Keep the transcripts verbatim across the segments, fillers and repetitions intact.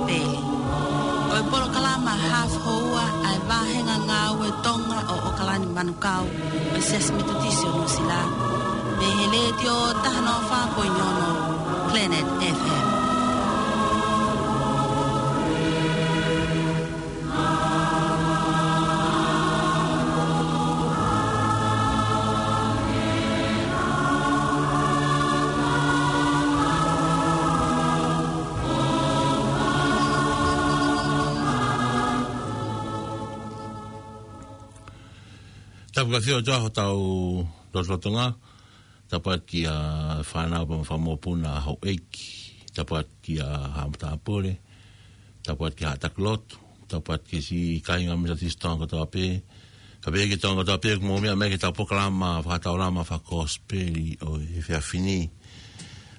Pele. Ko e polokalama hafu houa ʻa e vāhenga ngāue Tonga ʻo ʻOkalani Manukau, ʻo e Siasi Metotisi ʻo Nuʻusila, mei he Letiō taha noa fā poini ono Planet F M. Tapu ka fio atu hotau lotolotonga. Tapu atu kia fānau pea mo e fanga mokopuna, houʻeiki. Tapu atu kia Haʻa Matāpule. Tapu atu kia Haʻa Takilotu. Tapu atu kia siʻi kāinga Metotisi Tonga kotoa pē. Kae pehē ki Tonga kotoa pē, ʻoku mou meʻa mai ki heʻetau polokalama fakataulama fakakosipeli ʻo e efiafi ni.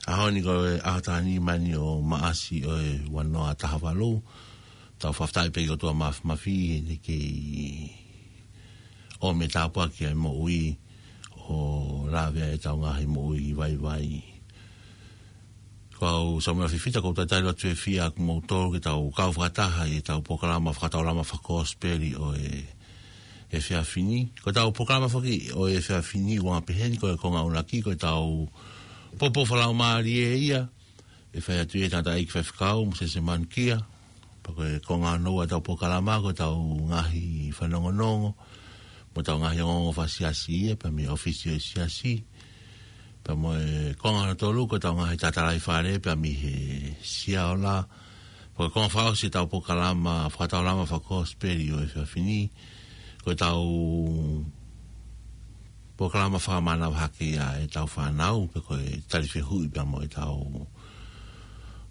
ʻAho ni ko e ʻaho taha nima eni ʻo Maʻasi ʻo e ua noa taha valu. Tau fakafetaʻi pē ki he ʻOtua Māfimafi heʻene kei ʻomi e tāpuaki ʻa e moʻui ʻo lave ai ʻetau ngaahi moʻui vaivai. Ko au Samuela Fifita, ʻoku ou talitali atu e fiefia ʻa kimoutolu ke tau kau fakataha ʻi heʻetau polokalama fakataulama fakakosipeli ʻo e efiafi ni. Ko ʻetau polokalama foki ʻo e efiafi ni ʻoku anga peheni, ko e konga ʻuluaki ko ʻetau poupou fakalaumālie ia ʻe fai atu ʻe he tangataʻeiki faifekau, Mōsese Manukia. Pea ko e konga hono ua ʻetau polokalama ko ʻetau ngaahi fanongonongo mo ʻetau ngaahi ongoongo fakasiasi ia, pea mei he ʻōfisi ʻo e siasi. Pea mo e konga hono tolu ko ʻetau ngaahi tatalaifale pea mei he Siaola. Pea ko e konga fakaʻosi ʻetau polokalama fakataulama fakakosipeli ʻo e efiafi ni ko ʻetau polokalama fakamānava hake ʻa ʻetau fānau, pe ko e tali fehuʻi pea mo ʻetau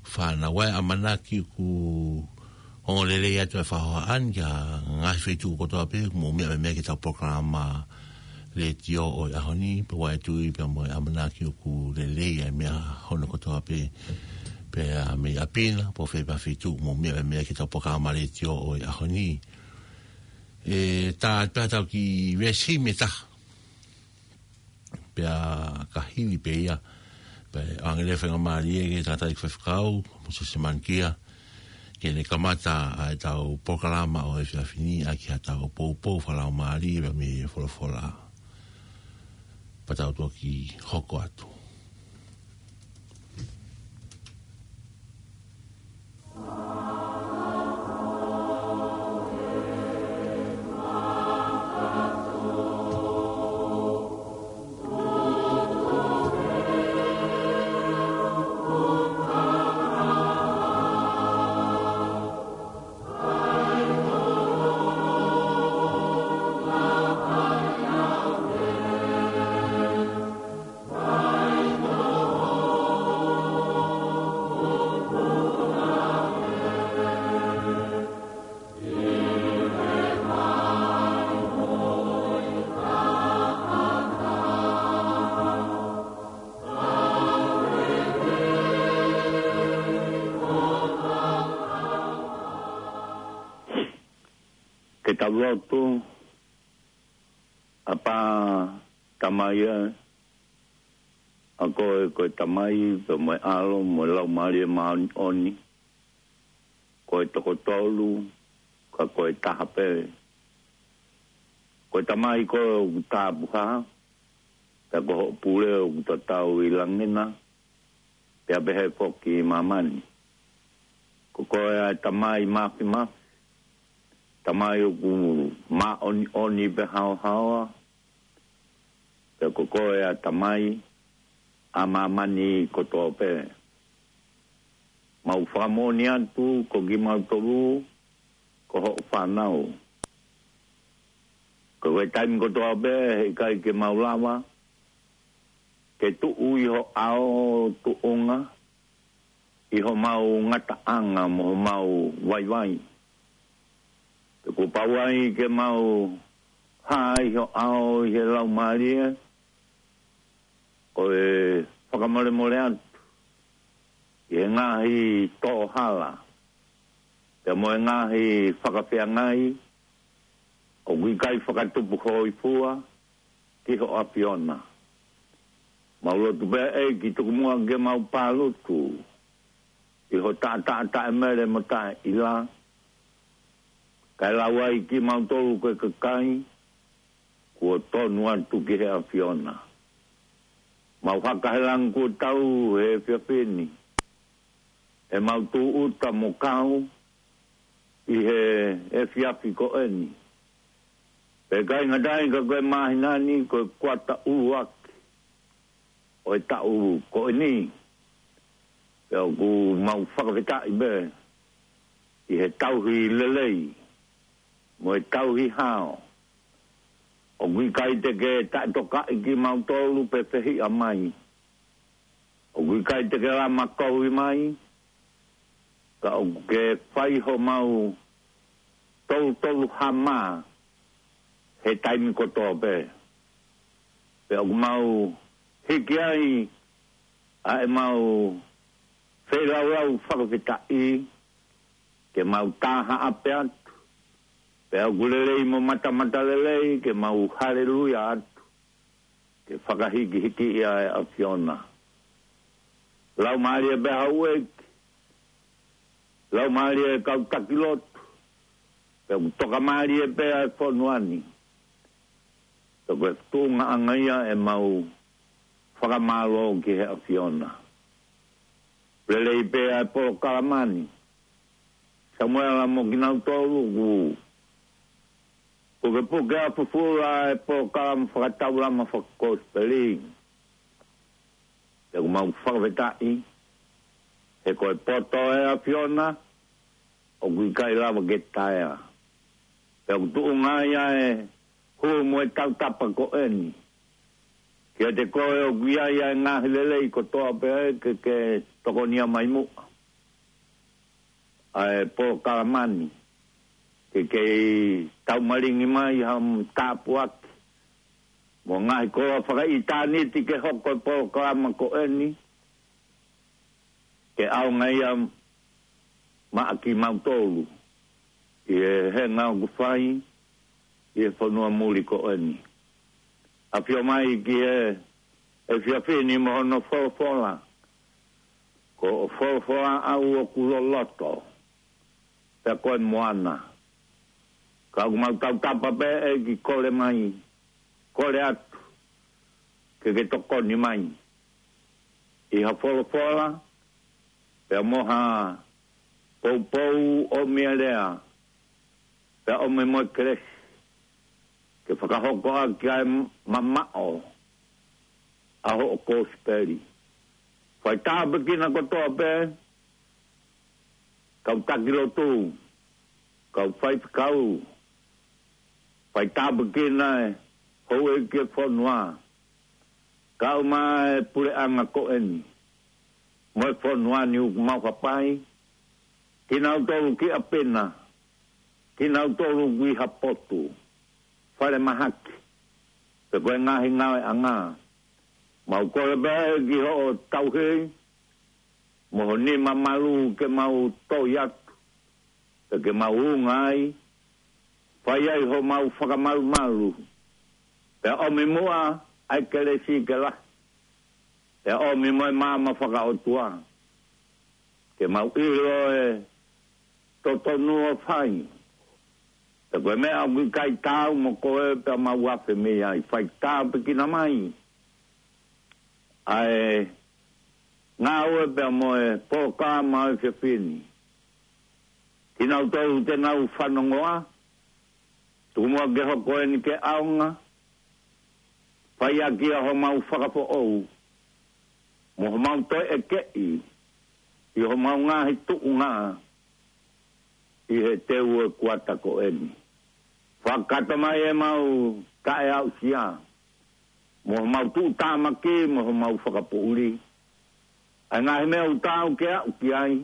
fānau. ʻA e ʻamanaki ʻoku ongo lelei atu e fakahohaʻa ni ki he ngaahi feituʻu kotoa pē ʻoku mou meʻa mai ki heʻetau polokalama letiō ʻo e ʻaho ni, pea ʻoku ou tui pea mo e ʻamanaki ʻoku lelei ʻa e meʻa hono kotoa pē, pea mei ʻapi na, pe ko fē pē feituʻu ʻoku mou meʻa mai ki heʻetau polokalama letiō ʻo e ʻaho ni. ʻE tā pē ʻetau kiʻi veesi ʻe taha. Pea ka hili pē ia, pea ʻoange leva e faingamālie ki he tangataʻeiki faifekau, Mōsese Manukia, ke ne kamata ʻa ʻetau polokalama ʻo e efiafi ni ʻaki haʻatau poupou fakalaumālie pea mei he folofola. Pea tau toki hoko atu. Ke tau lotu. ʻApā Tamai ē, ʻa koe ko e Tamai, pea mo e ʻAlo, mo e Laumālie Māʻoniʻoni. Ko e toko tolu, ka ko e taha pē. Ko e Tamai koe ʻoku tapuhā, pea ko hoʻo pule ʻoku tatau ʻi langi na, pea pehē foki ʻi māmani. Ko koe ʻa e Tamai Māfimafi, Tamai ʻoku māʻoniʻoni pea haohaoa, pea ko koe ʻa e Tamai ʻa māmani kotoa pē. Mau fakamoʻoni atu ko kimautolu ko hoʻo fānau. Ko e taimi kotoa pē heʻikai ke mau lava ke tuʻu ʻi ho ʻao tuʻunga, ʻi homau ngataʻanga mo homau vaivai. Pea kuo pau ai ke mau hā ʻi ho ʻao ʻi he Laumālie, ʻo e fakamolemole atu ʻi he ngaahi tō hala, pea mo e ngaahi fakafeangai ʻoku ʻikai fakatupu hōifua ki ho ʻAfiona. Mau lotu pē ʻEiki tuku muʻa ke mau pālutu ʻi ho taʻataʻa taʻemele mo taʻeʻila, kae lau ai kimautolu ko e kakai kuo tonu atu ki he ʻAfiona. Mau haka he langi kuo tau he efiafi ni, ʻemau tūʻuta mo kau ʻi he efiafi ko eni. Pea ʻikai ngata ai ka ko e māhina ni ko e kuata ʻuluaki ʻo e taʻu ko eni. Pea ʻoku mau fakafetaʻi pē ʻi he tauhi lelei mo e tauhi hao. ʻOku ʻikai te ke taʻetokaʻi kimautolu pe fehiʻa mai. ʻOku ʻikai te ke lama kovi mai, ka ʻoku ke fai homau toutou hama he taimi kotoa pē. Pea ʻoku mau hiki ai ʻa ʻemau feilaulau fakafetaʻi, ke mau taha ʻape atu. Pea ʻoku lelei mo matamata lelei, ke mau haleluia atu, ke fakahikihiki ia e ʻAfiona. Laumālie pē houʻeiki, laumālie kau taki lotu, pea ʻoku tokamālie pē ʻa e fonua ni. Pea ko e tuʻungaʻanga ia ʻemau fakamālō ki he ʻAfiona. Lelei pē ʻa e polokalama ni. Samuela mo kinautolu ʻoku pukepuke ʻa fufula e polokalama fakataulama fakakosipeli. Pea ʻoku mau fakafetaʻi, he ko e poto ʻa e ʻAfiona, ʻoku ʻikai lava ke taea. Pea ʻoku tuʻunga ia e hū mo e tautapa ko eni. Kiate koe ʻoku ʻi ai ʻa e ngaahi lelei kotoa pē ke ke tokonia mai muʻa ʻa e polokalama ni, ke kei taumalingi mai ha tāpuaki mo e ngaahi koloa fakaʻitāniti ke hoko e polokalama ko eni, ke ʻaonga ia maʻa kimautolu ʻi he henga ʻoku fai ʻi he fonua muli ko eni. ʻAfio mai ki he efiafi ni mo hono folofola. Ko hoʻo folofola ʻaʻau ʻoku loloto, pea ko e moana. Ka ʻoku mau tautapa pē ʻEiki, kole mai, kole atu ke ke tokoni mai ʻi ha folofola, pea mo ha poupou ʻomi e lea, pea ʻomi mo e kelesi, ke fakahoko ʻaki ʻa e mamaʻo ʻa hoʻo kosipeli. Fai tāpuekina kotoa pē, kau taki lotu, kau faifekau, fai tāpuekina e houʻeiki e fonua, kau mai e puleʻanga ko eni mo e fonua ni ʻoku mau hapai, kinautolu ki ʻapi na, kinautolu ʻoku ʻi ha potu, falemahaki, pe ko e ngaahi ngāueʻanga. Mau kole pē ki hoʻo tauhi, mo ho nima malu ke mau toi atu, pea ke mau unga ai, fai ai homau fakamalumalu, pea ʻomi muʻa ʻa e kelesi ke lahi, pea ʻomi mo e maama fakaʻotua, ke mau ʻilo e totonu ʻo fai. Pea ko e meʻa ʻoku ʻikai taau mo koe pea mau afe mei ai, fai tāpuekina mai ʻa e ngāue pea mo e polokalama ʻo e efiafi ni. Kinautolu te nau fanongoa, tuku muʻa ke hoko eni ke ʻaonga, fai ʻaki ʻa homau fakafoʻou, mo homau toe ʻekeʻi ʻi homau ngaahi tuʻunga ʻi he teu ʻo e kuata ko eni. Fakakakato mai ʻemau taʻeaʻusia, mo homau tuʻutāmaki, mo homau fakapoʻuli, ʻa e ngaahi meʻa ʻoku taau ke aʻu ki ai,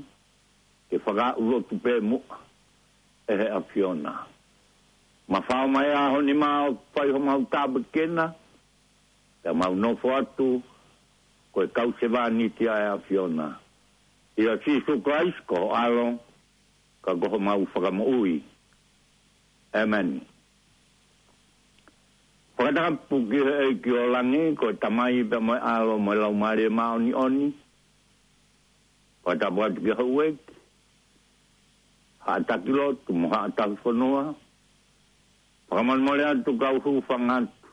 ke fakaaʻu lotu pē muʻa ʻe he ʻAfiona. Mafao mai ʻa ho nima ʻo fai homau tāpuekina, pea mau nofo atu ko e kau sevāniti ʻa e ʻAfiona. ʻIa Sīsū Kalaisi ko ho ʻAlo, ka ko homau Fakamoʻui. ʻĒmeni. Fakatapu ki he ʻEiki ʻo langi, ko e Tamai pea mo e ʻAlo mo e Laumālie Māʻoniʻoni. Fakatapu atu ki he houʻeiki, haʻa taki lotu mo haʻa tauhi fonua. Fakamolemole atu kau hūfanga atu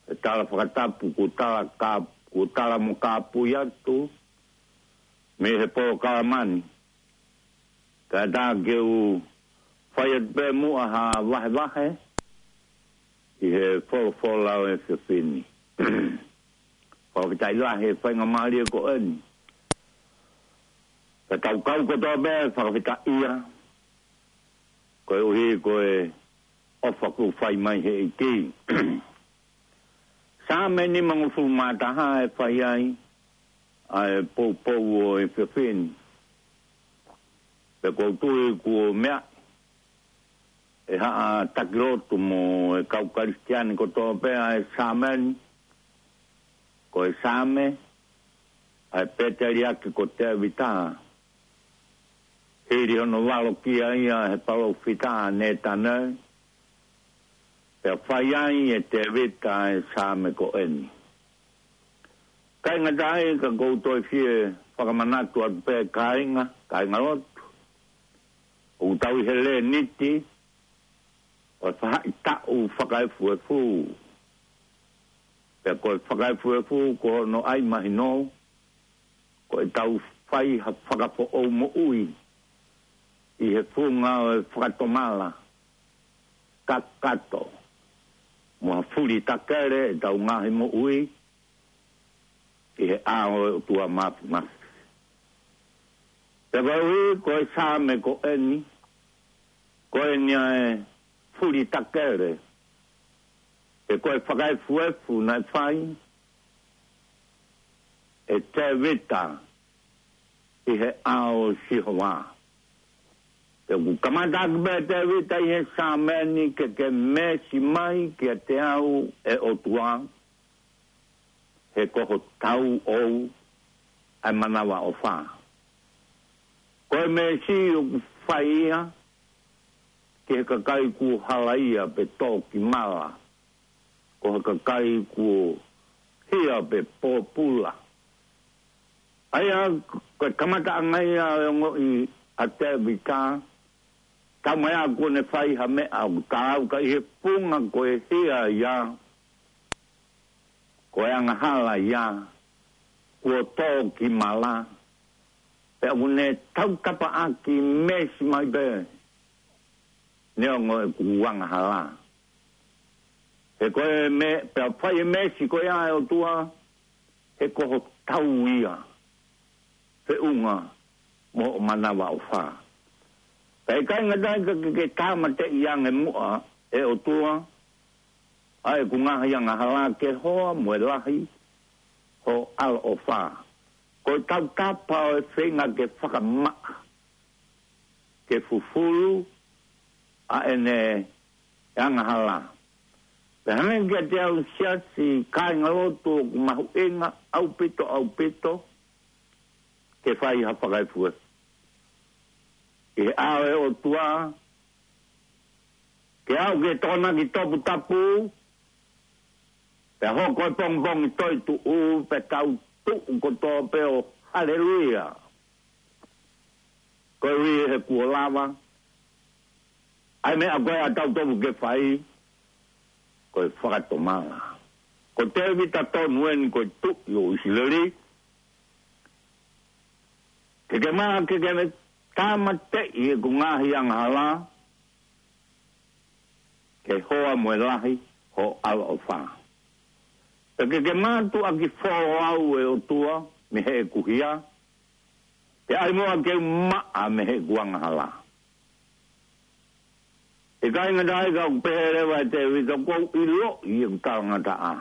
he tala fakatapu kuo tala ka, kuo tala mo kāpui atu mei he polokalama ni. Kae ʻatā ke u fai atu pē muʻa ha vahevahe ʻi he folofola ʻo e efiafi ni. Fakafetaʻi lahi he faingamālie ko eni ke tau kau kotoa pē fakafetaʻia koeʻuhi ko e ʻofa kuo fai mai he ʻEiki. Saame nimangofulu mā taha ʻe fai ai ʻa e poupou ʻo e efiafi ni. Pea ʻoku ou tui kuo meaʻi ʻe haʻa taki lotu mo e kau Kalisitiane kotoa pē ʻa e Saame ni, ko e Saame ʻa e pēteliake ko Tēvita. Hili hono valokia ia ʻe he palōfita ʻa Nētane, pea fai ai ʻe Tēvita ʻa e Saame ko eni. Kāinga, ʻikai ke u toe fie fakamanatu atu pē kāinga, kāingalotu, ʻoku tau ʻi he Lēniti ʻo e faʻahitaʻu fakaefuefu. Pea ko e fakaefuefu ko hono ʻai mahino, ko ʻetau fai ha fakafoʻou moʻui ʻi he funga ʻo e fakatomala kakato mo ha fuli takele ʻetau ngaahi moʻui ʻi he ʻao ʻo e ʻOtua Māfimafi. Pea koeʻuhi ko e Saame ko eni, ko eni ʻa e fuli takele, pe ko e fakaefuefu naʻe fai ʻe Tēvita ʻi he ʻao ʻo Sihova. Pea ʻoku kamata ʻaki pē ʻe Tēvita ʻi he Saame ni ke ke meesi mai kiate au ʻe ʻOtua, he ko ho tauʻou ʻa e manavaʻofa. Ko e meesi ʻoku fai ia ki he kakai kuo halaia pe tō ki mala, ko e kakai kuo hia pe pōpula. ʻA ia ko e kamataʻanga ia ʻo e ongoʻi ʻa Tēvita, taumaiā kuo ne fai ha meʻa ʻoku taau ka ʻi he funga ko e hia ia, ko e angahala ia, kuo tō ki mala, pea ʻoku ne tautapa ʻaki meesi mai pē neongo ʻeku angahala. He ko e me, pea fai e meesi ko ia ʻe ʻOtua, he ko ho tau ia, feʻunga mo hoʻo manavaʻofa. Pea ʻikai ngata ai ka ke, ke tāmateʻi ange muʻa ʻe ʻOtua ʻa ʻeku ngaahi angahala ke hoa mo e lahi hoʻo ʻaloʻofa. Ko e tautapa ʻo e feinga ke fakamaʻa, ke fufulu ʻa ʻene angahala. Pea hangē kiate au siasi, kāingalotu, ʻoku mahuʻinga ʻaupito, ʻaupito ke fai ha fakaefuefu ʻi he ʻao ʻo e ʻOtua, ke aʻu ki he Tokonaki toputapu, pea hoko e pongipongi toetuʻu, pea tau tuʻu kotoa pē ʻo haleluia. Koeʻuhi he kuo lava ʻa e meʻa ko ē ʻa tautolu ke fai, ko e fakatomala. Ko Tēvita tonu eni ko e tuʻi ʻo ʻIsileli, ke ke maʻa, ke ke tāmateʻi ʻeku ngaahi angahala, ke hoa mo e lahi hoʻo ʻaloʻofa. Pea ke ke mātuʻaki foʻou au ʻe ʻOtua mei heʻeku hia, pea ʻai muʻa ke u maʻa mei heʻeku angahala. ʻIkai ngata ai ka ʻoku pehē leva ʻe Tēvita, ʻoku ou ʻiloʻi ʻeku talangataʻa,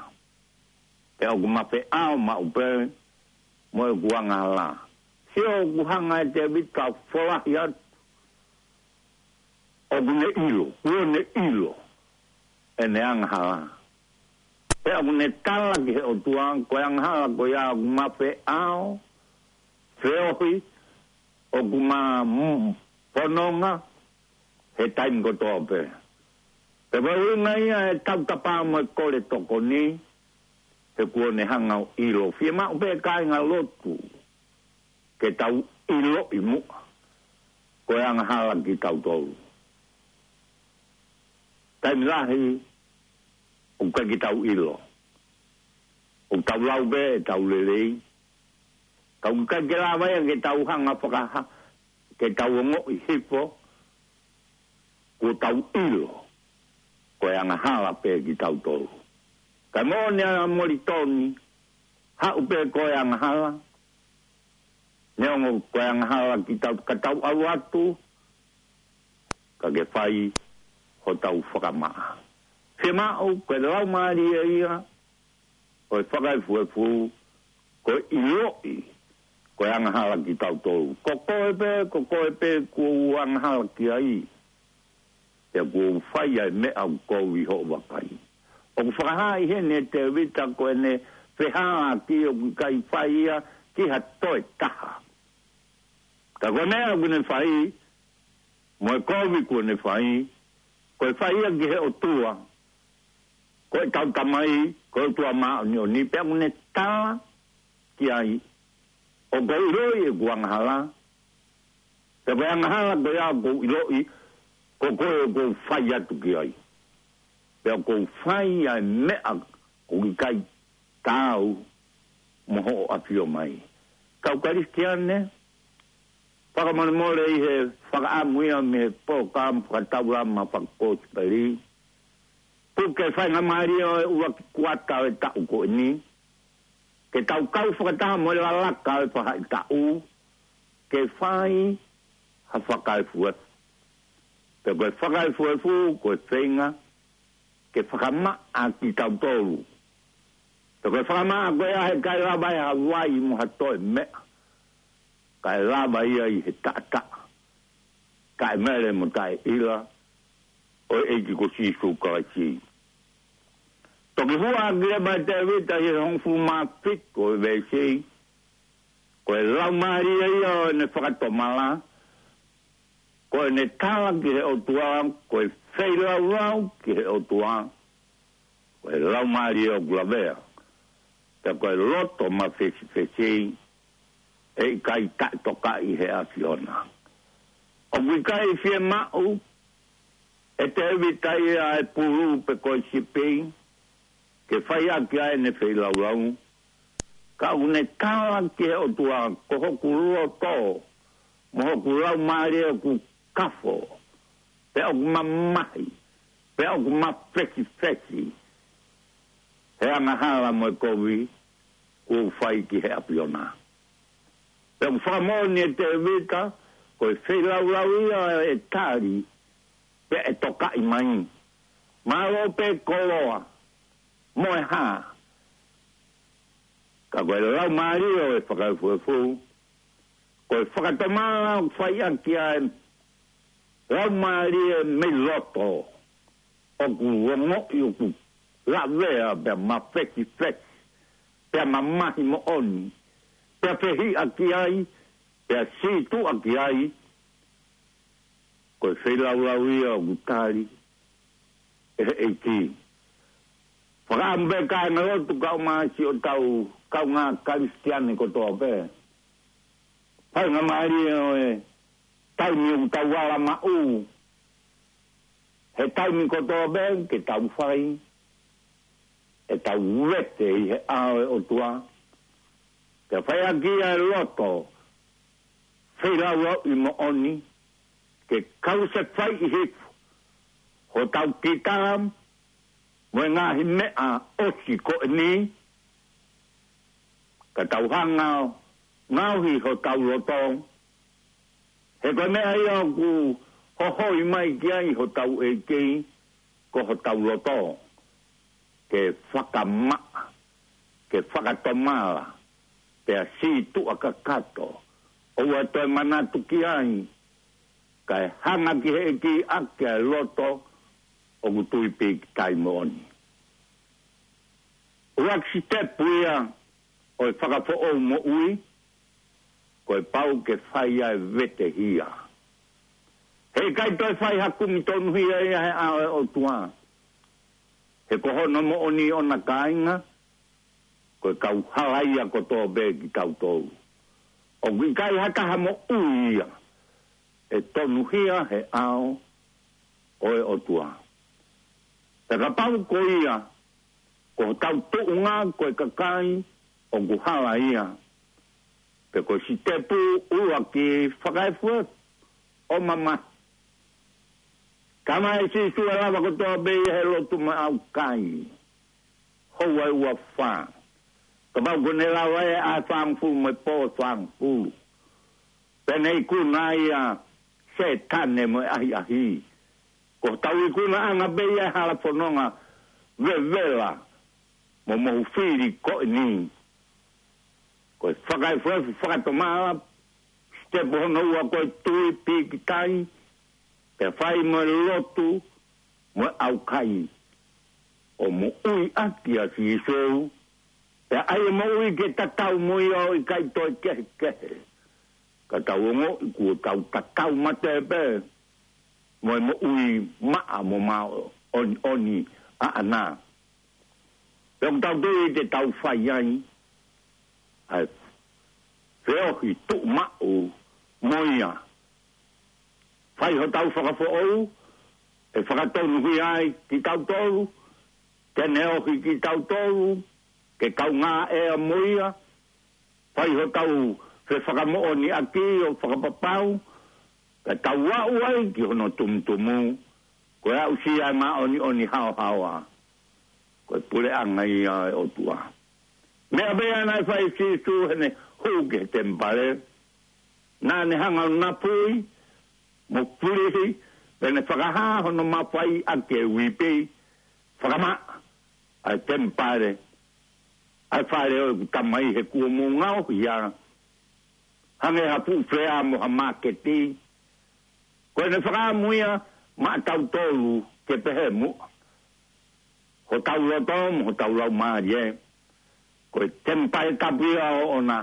pea ʻoku ma feʻao maʻu pē mo ʻeku angahala. Sio, ʻoku hanga ʻe Tēvita ʻo folahi atu ʻoku ne ʻilo, kuo ne ʻilo ʻene angahala. Pea ʻoku ne tala ki he ʻOtua, ko e angahala ko ia ʻoku ma feʻao, feohi, ʻoku ma, mm, fononga he taimi kotoa pē. Pea ko e ʻuhinga ia e tautapa mo e kole tokoni, he kuo ne hanga ʻo ʻilo. Fiemaʻu pē kāingalotu ke tau ʻiloʻi muʻa ko e angahala kitautolu. Taimi lahi ʻoku ʻikai ke tau ʻilo. ʻOku tau lau pē ʻetau lelei, ka ʻoku ʻikai ke lava ia ke tau hanga fakaha, ke tau ongoʻi hifo kuo tau ʻilo ko e angahala pē kitautolu. Ka moʻoni ʻa Molitoni, haʻu pē ko e angahala, neongo ko e angahala kitautolu, ka tau ʻalu atu, ka ke fai hotau fakamaʻa. Fiemaʻu ko e laumālie ia ʻo e fakaefuefu, ko e ʻiloʻi ko e angahala kitautolu. Ko koe pē, ko koe pē kuo u angahala ki ai, pea kuo u fai ʻa e meʻa ʻoku kovi ʻi hoʻo vakai. ʻOku fakahā ʻi heni ʻe Tēvita ko ʻene fehālaaki ʻoku ʻikai fai ia ki ha toe taha. Ka ko e meʻa ʻoku ne fai, mo e kovi kuo ne fai, ko e fai ia ki he ʻOtua, ko ʻetau Tamai, ko e ʻOtua māʻoniʻoni, pea ʻoku ne tala ki ai, ʻoku ou ʻiloʻi ʻeku angahala, pea ko e angahala ko ia ʻoku ou ʻiloʻi, ko koe ʻoku ou fai atu ki ai. Pea ʻoku ou fai ʻa e meʻa ʻoku ʻikai taau mo hoʻo ʻafio mai. Kau Kalisitiane, fakamolemole ʻi he fakaʻamu ia mei he polokalama fakataulama fakakosipeli, puke faingamālie ʻo e ʻuluaki kuata ʻo e taʻu ko eni, ke tau kau fakataha mo e lalaka ʻo e faʻahitaʻu, ke fai ha fakaefuefu. Pea ko e fakaefuefu, ko e feinga ke fakamaʻa kitautolu. Pea ko e fakamaʻa ko ia he ʻikai lava ʻe ha vai mo ha toe meʻa, kae lava ia ʻi he taʻataʻa taʻemele mo taʻeʻila ʻo e ʻEiki ko Sīsū Kalaisi. Toki hua ʻaki leva ʻe Tēvita ʻi he hongofulu mā fitu ʻo e veesi, ko e laumālie ia ʻo ʻene fakatomala, ko ʻene tala ki he ʻOtua, ko e feilaulau ki he ʻOtua, ko e laumālie ʻoku lavea, pea ko e loto mafesifesi, ʻe ʻikai taʻetokaʻi ʻe he ʻAfiona. ʻOku ʻikai fiemaʻu ʻe Tēvita ia ʻa e pulu pe ko e sipi, ke fai ʻaki ʻa ʻene feilaulau. Ka ʻoku ne tala ki he ʻOtua, ko hoku loto, mo hoku laumālie ʻoku kafo, pea ʻoku mamahi, pea ʻoku mafesifesi, he angahala mo e kovi kuo u fai ki he ʻAfiona. Pea ʻoku fakamoʻoni ʻe Tēvita, ko e feilaulau ia ʻe tali, pea ʻe tokaʻi mai. Mālō pē koloa, mo e hā. Ka ko e laumālie ʻo e fakaefuefu, ko e fakatomala ʻoku fai ʻaki ʻa e laumālie mei loto, ʻoku ongoʻi ʻoku lavea pea mafesifesi, pea mamahi moʻoni, pea fehiʻa ki ai, pea sītuʻa ki ai, ko e feilaulau ia ʻoku tali ʻe he ʻEiki. Fakaʻamu pē kāingalotu kaeʻumaʻā siʻotau kaungā Kalisitiane kotoa pē. Faingamālie ʻo e taimi ʻoku tau ala maʻu, he taimi kotoa pē ke tau fai ʻetau vete ʻi he ʻao ʻo e ʻOtua. Ke fai ʻaki ʻa e loto feilaulau ʻi moʻoni, ke kau se fai ʻi hifo hotau kita mo e ngaahi meʻa ʻosi ko eni, ka tau hanga ʻo ngaohi hotau loto, he ko e meʻa ia ʻoku hohoi mai ki ai hotau ʻEiki, ko hotau loto, ke fakamaʻa, ke fakatomala, pea sītuʻa kakato, ʻoua toe manatu ki ai, kae hanga ki he ʻEiki ʻaki ʻa e loto ʻoku tui pīkitai moʻoni. ʻUluaki sitepu ia ʻo e fakafoʻou moʻui, ko e pau ke fai ʻa e vetehia. He ʻikai toe fai ha kumi tonuhia ia he ʻao ʻo e ʻOtua. He ko hono moʻoni ʻona kāinga, ko e kau halaia kotoa pē kitautolu. ʻoku ʻikai ha taha moʻui ia ʻe tonuhia he ʻao ʻo e ʻOtua. Pea kapau ko ia, ko hotau tuʻunga ko e kakai ʻoku hala ia, pe ko e sitepu ʻuluaki fakaefuefu ʻo mamahi. Tala mai ʻe Sīsū ʻe lava kotoa pē ia he lotu mo e ʻaukai. Houa ʻe uofā. Kapau ko ʻene lava ʻe ʻaho ʻe fāngofulu mo e pō ʻe fāngofulu. Pea ne ikuna ia ʻe Sētane mo e ʻahiʻahi. Ko hotau ikunaʻanga pē ia he hala fononga vevela mo mohu fili ko eni. Ko e fakaefuefu fakatomala, sitepu hono ua ko e tui pīkitai, pea fai mo e lotu mo e ʻaukai. ʻO moʻui ʻaki ʻa Sīsū, pea ʻai e moʻui ke tatau mo ia ʻo ʻikai toe kehekehe. Ka tau ongoʻi kuo tau tatau mate pē mo e moʻui maʻa mo māʻoniʻoni ʻaʻana. Pea ʻoku tau tui te tau fai ai ʻa e feohi tuʻumaʻu mo ia. Fai hotau fakafoʻou, ʻe fakatonuhia ai kitautolu, te ne ohi kitautolu ke kaungā ʻea mo ia. Fai hotau fefakamoʻoniʻaki ʻo fakapapau, ka tau aʻu ai ki hono tumutumu, ko e aʻusia ʻa e māʻoniʻoni haohaoa. Ko e puleʻanga ia ʻo e ʻOtua. Meʻa pē ia naʻe fai ʻe Sīsū heʻene hū ki he temipale. Naʻa ne hanga ʻo napui mo pulihi, pea ne fakahā hono mafai ʻaki e uipi, fakamaʻa ʻa e temipale, ʻa e fale ʻo ʻeku Tamai he kuo mou ngaohi ia hangē ha fuʻu fea mo ha māketi. Ko ʻene fakaʻamu ia maʻatautolu ke pehē muʻa. Hotau loto mo hotau laumālie, ko e temipale tapu ia ʻoʻona,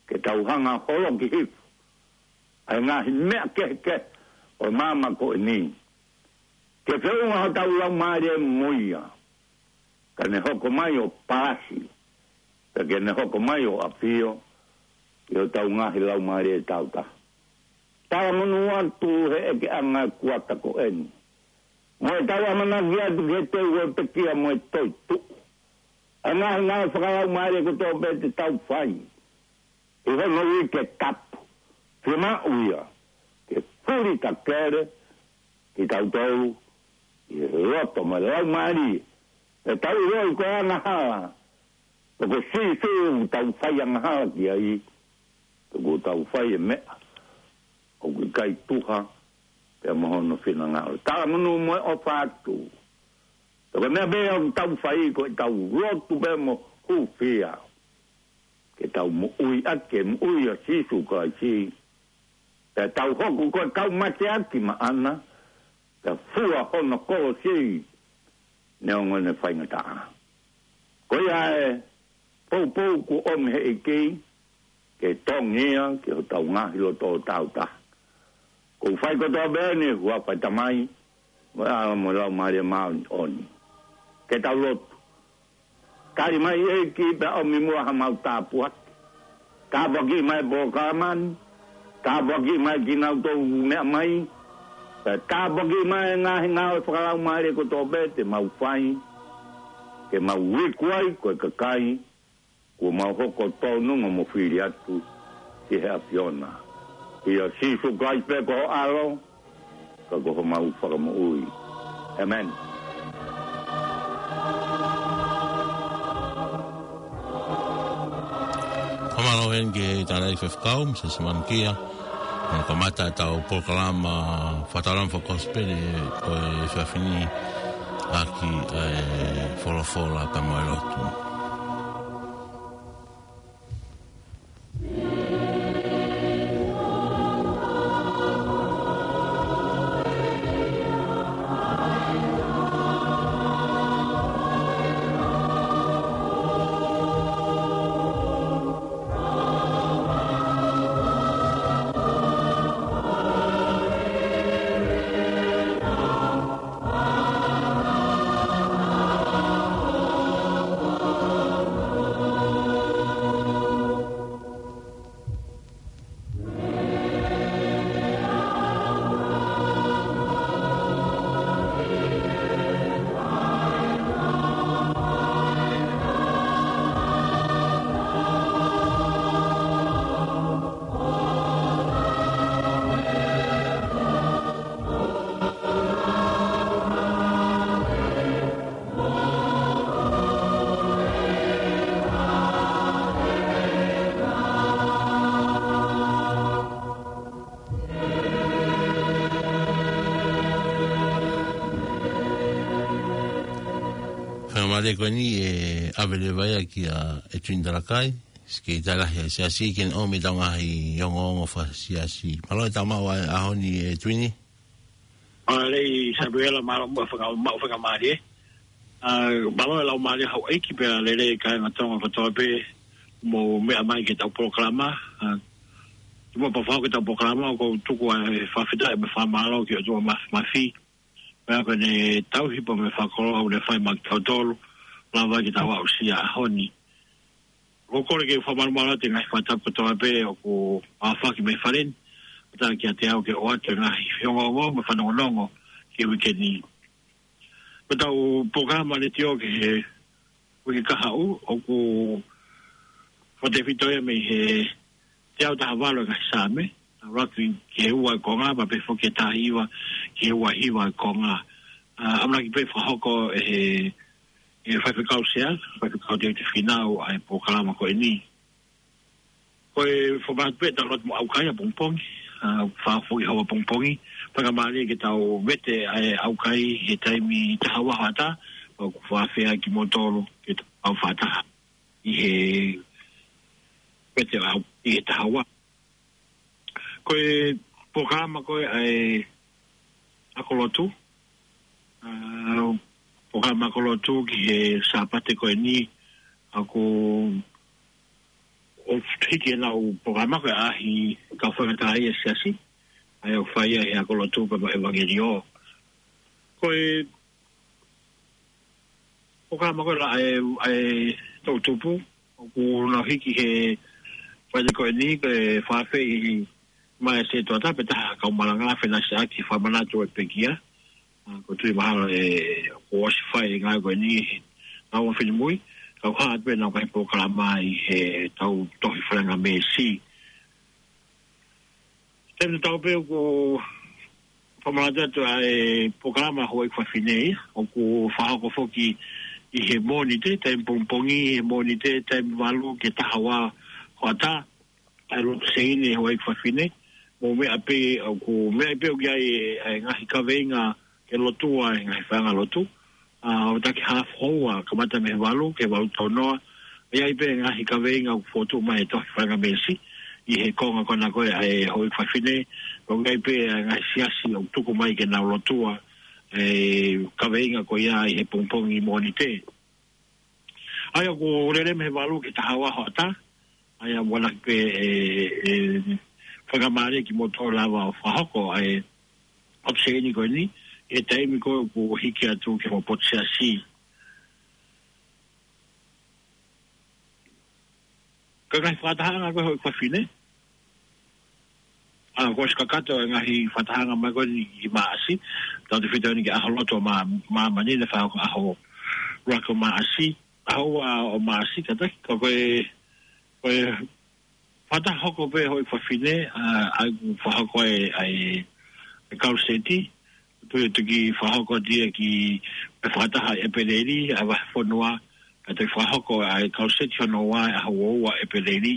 ke tau hanga ʻo holoki hifo ʻa e ngaahi meʻa kehekehe ʻo e māmani ko eni. Ke feʻunga hotau laumālie mo ia, ka ne hoko mai ʻo palasi, pea ke ne hoko mai ʻo ʻafio ʻi hotau ngaahi laumālie tāutaha. Talamonū atu he ʻekeʻanga kuata ko eni, mo ʻetau ʻamanaki atu ki he teu ʻo e pekia mo e toetuʻu. ʻA e ngaahi ngāue fakalaumālie kotoa pē te tau fai ʻi hono uike tapu, fiemaʻu ia ke fuli takele kitautolu ʻi he loto mo e laumālie. Pea tau ʻiloʻi ko e angahala, pea ko Sīsū ʻoku tau fai angahala ki ai, pea ʻoku tau fai e meʻa ʻoku ʻikai tuha pea mo hono finangalo. Talamonū mo e ʻofa atu. Pea ko e meʻa pē ʻoku tau fai, ko ʻetau lotu pē mo hūfia ke tau moʻui ʻaki e moʻui ʻa Sīsū Kalaisi. Pea tau hoko ko e kau mateaki maʻana, pea fua hono kolosi neongo ʻene faingataʻa. Ko ia e poupou kuo ʻomi he ʻEiki, ke tongi ia ki hotau ngaahi loto tāutaha. ʻOku ou fai kotoa pē ʻeni ʻi he huafa ʻo e Tamai, mo e ʻAlo mo e Laumālie Māʻoniʻoni. Ke tau lotu. Tali mai ʻEiki pea ʻomi muʻa haʻamau tāpuaki. Tāpuakiʻi mai e polokalama ni, tāpuakiʻi mai kinautolu ʻoku meʻa mai, pea tāpuakiʻi mai e ngaahi ngāue fakalaumālie kotoa pē te mau fai, ke mau iku ai ko e kakai kuo mau hoko tōnunga mo fili atu ki he ʻAfiona. ʻIa Sīsū Kalaisi pē ko ho ʻAlo, ka ko homau Fakamoʻui. ʻĒmeni. Fakamālō eni ki he tangataʻeiki faifekau, Misa Simone Kia. Hono kamata ʻetau polokalama Fakataulaʻeiki Fakakosipeli ko e efiafi ni ʻaki e folofola pea mo e lotu. Mālie ko eni ʻe ʻave leva ia kia e Tuini Talakai, Sekelitali Lahi ʻa e Siasi, ke ne ʻomi ʻetau ngaahi ongoongo fakasiasi. Mālō e tau maʻu ʻa e ʻaho ni e Tuini. Mālō Samuela, mālō mo e faka-, maʻu fakamālie. ʻA, mālō e laumālie houʻeiki pea lelei kāinga Tonga kotoa pē mou meʻa mai ki heʻetau polokalama. ʻA, kimuʻa pea u fakahoko ʻetau polokalama, ʻoku ou tuku ʻa e fakafetaʻi mo e fakamālō ki he ʻOtua Māfimafi. Pea ko ʻene tauhi pea mo e fakakoloa ʻoku ne fai maʻa kitautolu, lava ke tau aʻusia ʻa e ʻaho ni. ʻOku ou kole ke u fakamalumalu atu e ngaahi fakatapu kotoa pē ʻoku ʻafaki mei fale ni, ʻo tā kiate au ke ʻoatu e ngaahi ongoongo mo e fanongonongo ki he uike ni. Ko ʻetau polokalama letiō ki he uike kahaʻu, ʻoku fakatefito ia mei he teau taha valu e ngaahi Saame, ʻa, ʻuluaki ki he ua e konga, pea pehē foki ki he taha hiva ki he ua hiva e konga. ʻA, ʻamanaki pē fakahoko ʻe he, ʻe he Faifekau Sea, Faifekau Tevita Fīnau, ʻa e polokalama ko eni. Ko e fakamanatu pē ʻetau lotu mo e ʻaukai ʻapongipongi, ʻa, fakafoki hoʻo ʻapongipongi, fakamālie ke tau vete ʻa e ʻaukai he taimi taha ua hoʻatā, ʻoku fakafeʻao kimoutolu ke tau fakataha ʻi he vete ʻa e ʻau-, ʻi he taha ua. Ko e polokalama ko ē ʻa e ako lotu, ʻa, polokalama ako lotu ki he Sāpate ko eni, ʻoku, ʻoku hiki ʻenau polokalama ko ē ʻa e kau faingataʻaʻia ʻa e Siasi, ʻa ia ʻoku fai ia he ako lotu pea mo e ʻevangeliō. Ko e polokalama ko ē ʻa e, ʻa e toʻutupu, ʻoku nau hiki he Falaite ko eni, ko e fakaafeʻi mai ʻa e Setuata pea taha kau malanga, Fenasi ʻAki, fakamanatu e pekia. ʻA, ʻoku ou tui mahalo ʻe, kuo ʻosi fai e ngāue ko eni he ngāue finemui, ka ʻoku hā atu pē ʻenau ngaahi polokalama ʻi heʻetau tohi falengamēsi. Taimi tatau pē ʻoku fakamanatu atu ʻa e polokalama Houʻeiki Fafine, ʻoku fakahoko foki ʻi he Mōnite, taimi pongipongi, he Mōnite, taimi valu ki he taha ua hoʻatā, ʻa e lotu seini Houʻeiki Fafine, mo e meʻa pē, ʻoku meʻa pē ʻoku ʻi ai e, e ngaahi kaveinga ke lotua he ngaahi faiʻanga lotu. ʻA, ʻo taki hafu houa, kamata mei he valu ki he valu tau noa. ʻI ai pē ngaahi kaveinga ʻoku fotu mai he tohi falengamēsi ʻi he konga ko ena ko ē ʻa e Houʻeiki Fafine, ʻoku ʻi ai pē ngaahi siasi ʻoku tuku mai ke nau lotua e kaveinga ko ia ʻi he pongipongi Mōnite. ʻA ia ʻoku lele mei he valu ki he taha ua hoʻatā, ʻa ia ʻoku ʻamanaki pē ʻe, ʻe fakamālie kimoutolu lava ʻo fakahoko ʻa e lotu seini ko eni, he taimi ko ē ʻoku hiki atu ki he potu siasi. Ka ngaahi fakatahaʻanga ko ē Houʻeiki Fafine, ʻa, kuo ʻosi kakato e ngaahi fakatahaʻanga mai ko eni ʻi Maʻasi, tautefito eni ki he ʻaho lotu ʻo mā-, māmani, naʻe fakahoko ʻaho ʻuluaki ʻo Maʻasi, ʻaho ua ʻo Maʻasi, kātaki, ka ko e, ko e fakataha hoko pē Houʻeiki Fafine, ʻa, ʻa ia ʻoku fakahoko e, ʻa e, e Kaluseti, ʻoku toki fakahoko atu ia ki he fakataha ʻi ʻEpeleli, ʻa e vahefonua, ka toki fakahoko ʻa e Kaluseti hono ua ʻi he ʻaho ua ʻo ʻEpeleli.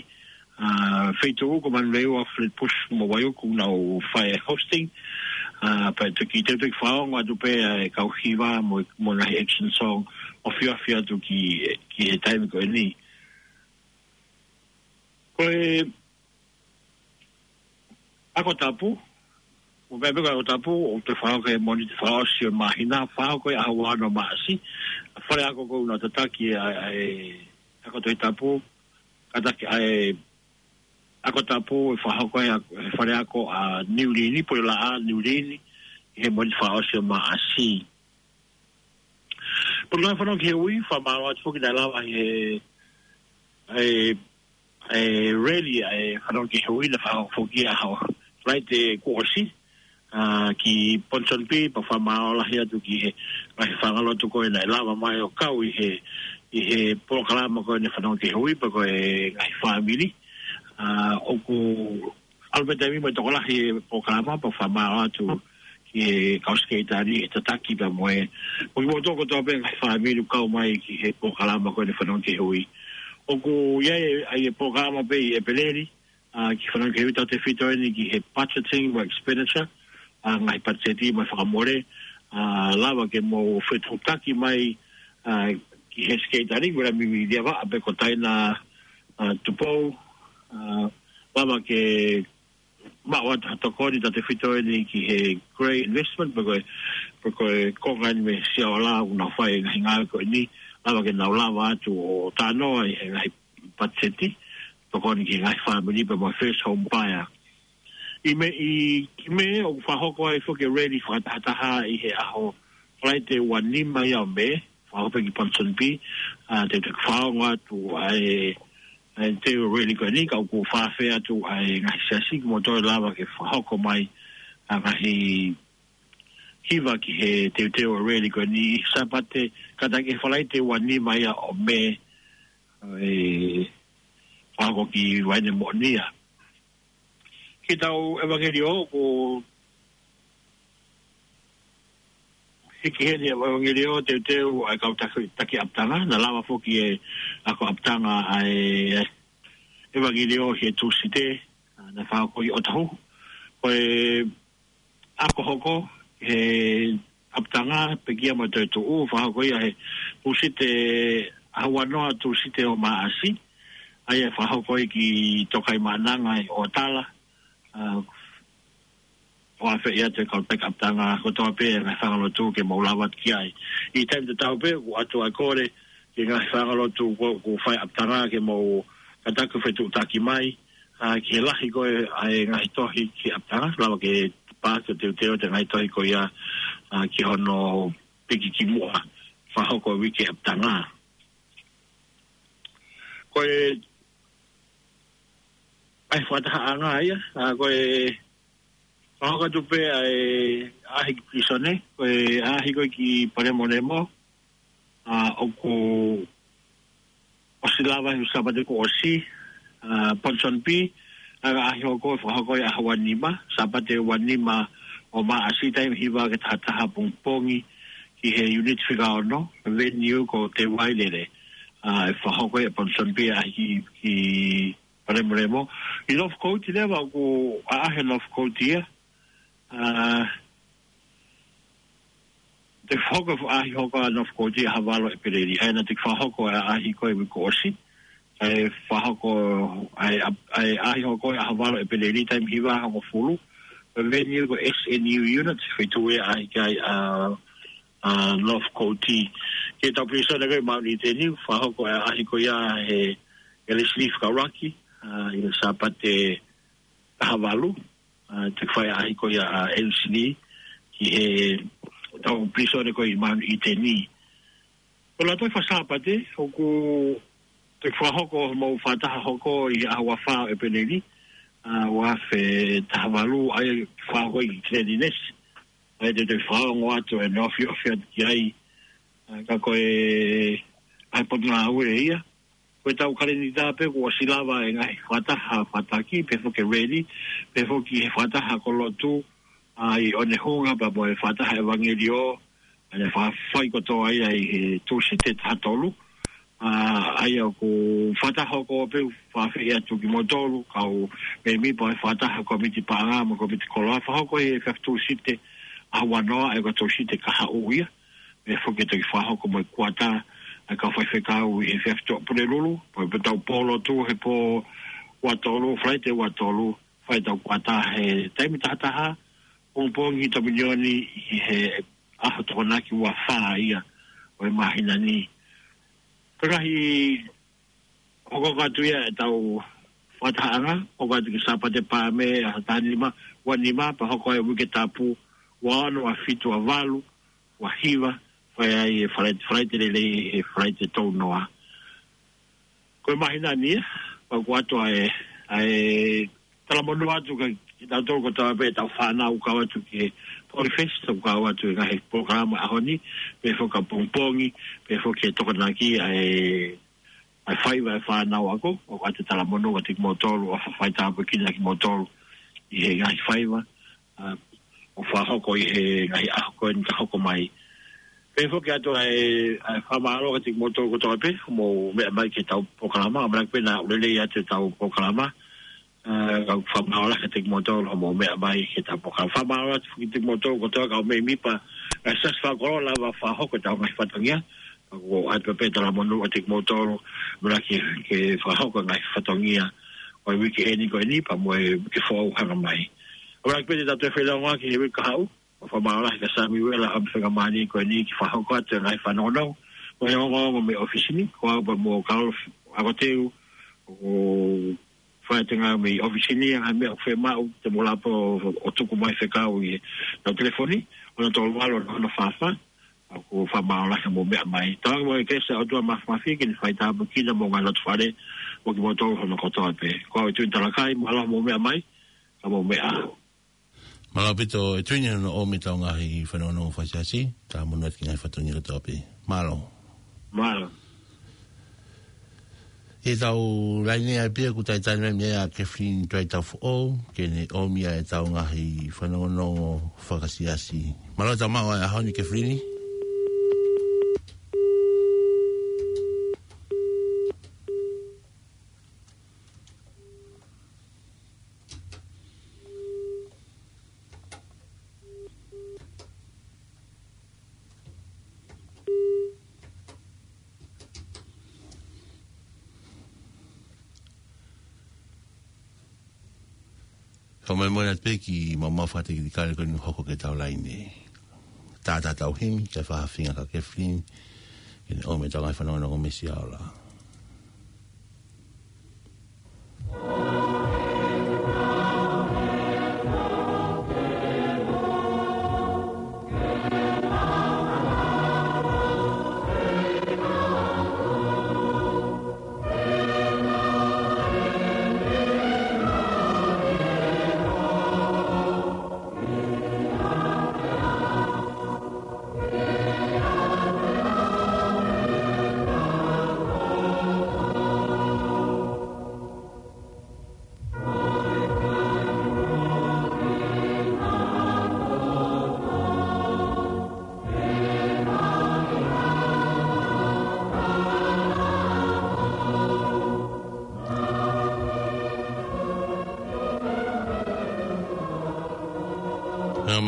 ʻA, feituʻu ko Manurewa, Flatbush mo Waiuku naʻa nau fai e hosting. ʻA, pea toki, te u toki fakaongo atu pē ʻa e kau hiva mo, mo e ngaahi action song, ʻo fiafia atu ki, ki he taimi ko eni. Ko e Ako Tapu, ʻoku meʻa pē ko e Ako Tapu, ʻoku toe fakahoko he Mōnite fakaʻosi ʻo e māhina, fakahoko he ʻaho ua ʻo Maʻasi, fale ako ʻoku nau tataki ʻa e, ʻa e ako Tohi Tapu, kātaki ʻa e Ako Tapu ʻe fakahoko he ako, he fale ako ʻa Niu Lini, Pule Laʻā, Niu Lini, he Mōnite fakaʻosi ʻo Maʻasi. Pea ko e fanongo ki he ui, fakamālō atu foki naʻe lava ʻi he, ʻa e, ʻa e rally, ʻa e fanongo ki he ui naʻe fakahoko foki ʻaho Falaite kuo ʻosi, ʻa, ki Ponsonby, pea fakamālō lahi atu ki he ngaahi faiʻanga lotu ko ē naʻe lava mai ʻo kau ʻi he, ʻi he polokalama ko eni fanongo ki he ui, pea ko e ngaahi fāmili. ʻA, ʻoku ʻalu pē taimi mo e tokolahi e polokalama, pea fakamālō atu ki he kau Sekelitali he tataki pea mo e, mo kimoutolu kotoa pē ngaahi fāmili ʻoku kau mai ki he polokalama ko eni fanongo ki he ui. ʻOku ʻi ai, ʻa e polokalama pē ʻi ʻEpeleli, ʻa, ki he fanongo ki he ui, tautefito eni ki he budgeting mo e expenditure, ʻa, ngaahi patiseti mo e fakamole, ʻa, lava ke mou fetuʻutaki mai, ʻa, ki he skeitani, ko e lami mi lia vaʻa pe ko Taina, ʻa, Tupou, ʻa, lava ke maʻu atu ha tokoni tautefito eni ki he Grey Investment, pe ko e, pe ko e konga eni mei Siaola ʻoku nau fai e ngaahi ngāue ko eni, lava ke nau lava atu ʻo talanoa ʻi he ngaahi patiseti, tokoni ki he ngaahi fāmili pe mo e first home buyer. ʻI Mē, ʻi, ʻi Mē ʻoku fakahoko ai foki e rally fakatahataha ʻi he ʻaho Falaite ua nima ia ʻo Mē, fakahoko pē ki Ponsonby, ʻa, te u toe fakaongo atu ʻa e, ʻa e teuteu rally ko eni, ka ʻoku fakaafeʻi atu ʻa e ngaahi siasi kimoutolu lava ke fakahoko mai ʻa e ngaahi hiva ki he teuteu rally ko eni, Sāpate, kātaki he Falaite ua nima ia ʻo Mē, ʻe, fakahoko ki Vaine Moʻonia. Ki heʻetau ʻevangeliō, ʻoku hiki heni e ʻevangeliō teuteu ʻa e kau taki, taki ʻapitanga, naʻa lava foki e ako ʻapitanga ʻa e ʻevangeliō he Tūsite, ʻa, naʻe fakahoko ʻi ʻŌtāhuhu. Ko e ako hoko he ʻapitanga, pekia mo e toetuʻu, fakahoko ia he Tūsite ʻaho ua noa, Tūsite ʻo Maʻasi, ʻa ia ʻe fakahoko ia ki Tokaimaʻananga ʻi ʻŌtala, ʻa, ʻo afeʻi atu e kau taki ʻapitanga kotoa pē e ngaahi fanga lotu ke mou lava atu ki ai. ʻI he taimi tatau pē, ʻoku ʻoatu ʻa e kole ki he ngaahi fanga lotu ʻoku, ʻoku fai ʻapitanga ke mou kātaki ʻo fetuʻutaki mai, ʻa, ki he lahi ko ē ʻa e ngaahi tohi ki ʻapitanga, lava ke paasi ʻo teuteu atu e ngaahi tohi ko ia, ʻa, ki hono piki ki muʻa, fakahoko e uike ʻapitanga. Ko e, ʻa e fakatahaʻanga ia, ʻa, ko e, fakahoko atu pē ʻa e ʻaʻahi ki pilīsone, ko e ʻaʻahi ko ē ki Palemolemo, ʻa, ʻoku ʻosi lava he Sāpate kuo ʻosi, ʻa, Ponsonby, ʻa e ʻaʻahi hoko ʻe fakahoko ia he ʻaho ua nima, Sāpate ua nima ʻo Maʻasi, taimi hiva ki he taha taha pongipongi ki he unit fika ono, venue ko Te Wailele, ʻa, ʻe fakahoko ia he Ponsonby ʻaʻahi ki, ki Palemolemo. ʻI Northcote leva ʻoku ʻaʻahi Northcote ia, ʻa, te fakahoko e ʻaʻahi hoko ʻa Northcote he ʻaho valu ʻEpeleli. ʻA ia naʻe toki fakahoko e ʻaʻahi ko ē uike kuo ʻosi. ʻA e fakahoko, ʻa e, ʻa e ʻaʻahi hoko he ʻaho valu ʻEpeleli taimi hiva hongofulu. Ko e venue ko e S N U Unit, feituʻu ʻe ʻaʻahi ki ai ʻa, ʻa Northcote. Ki heʻetau pilīsone ko ē ʻi Mount Eden, fakahoko e ʻaʻahi ko ia he, he Leslie Fakaʻuluaki, ʻa, ʻi he Sāpate taha valu, ʻa, te fai ʻaʻahi ko ia ʻa Leslie ki heʻetau pilīsone ko ē ʻi Mount Eden. Ko e lātoi fakasāpate, ʻoku toe fakahoko hoʻomou fakataha hoko ʻi he ʻaho ua fā ʻEpeleli, ʻa, ua afe taha valu, ʻa ia ʻe fakahoko ʻi Cleanliness. ʻA ia te u toe fakaongo atu ʻene ofiofi atu ki ai, ʻa, ka ko e, ʻa e potungāue ia. Ko ʻetau kalēnita pē kuo ʻosi lava e ngaahi fakataha fataki, pehē foki e rally, pehē foki he fakataha kolo lotu, ʻa, ʻi ʻOnehunga, pea mo e fakataha ʻevangeliō, ʻa ia ʻe fai kotoa ia ʻi he Tūsite taha tolu. ʻA, ʻa ia ʻoku fakataha hoko pē, fakafeʻiloaki atu kimoutolu, kau mēmipa ʻo e fakataha, kōmiti paʻanga mo e kōmiti koloa, fakahoko he efiafi Tūsite ʻaho ua noa, ʻa ia ko e Tūsite kahaʻu ia. Pehē foki ʻe toki fakahoko mo e kuata ʻa e kau faifekau ʻi he efiafi Tuʻapulelulu, pea pē ʻetau pō lotu he pō ua tolu, Falaite ua tolu, fai ʻetau kuata he taimi taha taha pongipongi Tominioni ʻi he ʻaho Tokonaki ua fā ia ʻo e māhina ni. Ko e ngaahi hokohoko atu ia ʻetau fakatahaʻanga, hoko atu ki Sāpate Paame, ʻaho taha nima, ua nima, pea hoko ai e Uike Tapu, ua ono, ua fitu, ua valu, ua hiva, fai ai e Falaite, Falaite Lelei, e Falaite Tounoa. Ko e māhina ni ia, pea ʻoku ʻoatu ʻa e, ʻa e talamonū atu kiate kitautolu kotoa pē ʻetau fānau ʻoku kau atu ki he Polyfest, ʻoku kau atu he ngaahi polokalama ʻaho ni, pehē foki ʻapongipongi, pehē foki he Tokonaki, ʻa e ʻa e faiva e fānau ako, ʻoku ʻoatu e talamonū kiate kimoutolu, ʻofa faitāpuekina kimoutolu ʻi he ngaahi faiva, ʻa, ʻoku fakahoko ʻi he ngaahi ʻaho ko eni ka hoko mai. Pehē foki atu ʻa e, ʻa e fakamālō kiate kimoutolu kotoa pē, hoʻomou meʻa mai ki heʻetau polokalama, ʻamanaki pē naʻa ʻoku lelei atu ʻetau polokalama, ʻa, ka ʻoku fakamālō lahi kiate kimoutolu, hoʻomou meʻa mai ki heʻetau polokalama. Fakamālō atu foki kiate kimoutolu kotoa kau mēmipa, ʻa e Siasi Fakakoloa lava fakahoko ʻetau ngaahi fatongia, Ko e ʻai pē talamonū atu kimoutolu, ʻamanaki ke fakahoko e ngaahi fatongia ʻo e uike eni ko eni pea mo e uike foʻou hanga mai. ʻAmanaki pē te tau toe feilauaki he uike kahaʻu, ʻo fakamālō lahi kia Samiuela ʻa e faingamālie ko eni ke fakahoko atu e ngaahi fanongonongo mo e ongoongo mei he ʻōfisi ni, ko au pea mo Kalofi Akoteu, ʻoku fai atu e ngāue mei he ʻōfisi ni, ʻa e meʻa ʻoku fiemaʻu te mou lava pē ʻo, ʻo tuku mai fekau ʻi heʻetau telefoni, ono tolu valu, ono ono fā fā, ʻoku fakamālō lahi hoʻomou meʻa mai. Tauange mo e kelesi ʻa e ʻOtua Māfimafi ke ne faitāpuekina homou ngaahi loto fale, mo kimoutolu hono kotoa pē. Ko au ʻi tuʻa ʻi Talakai, mālō hoʻomou meʻa mai, ka mou meʻa ā. Mālō ʻaupito e tuʻunga hono ʻomi ʻetau ngaahi fanongonongo fakaʻosi, talamonū atu ki he ngaahi fatongia kotoa pē. Mālō. Mālō. ʻI heʻetau laine ʻa e pia kuo talitali mai mei ai ʻa Kathleen Tuaitaufoʻou, ke ne ʻomi ʻa ʻetau ngaahi fanongonongo fakaʻosi. Mālō e tau maʻu ʻa e ʻaho ni Kathleen. Ka mai mona pē ki mama fate ki kale ko inu hoko ke tau laine. Tātā tau himi, ke fakahaofi ange kia Kathleen, ke ne ʻomi ʻetau ngaahi fanongonongo mei Siaola.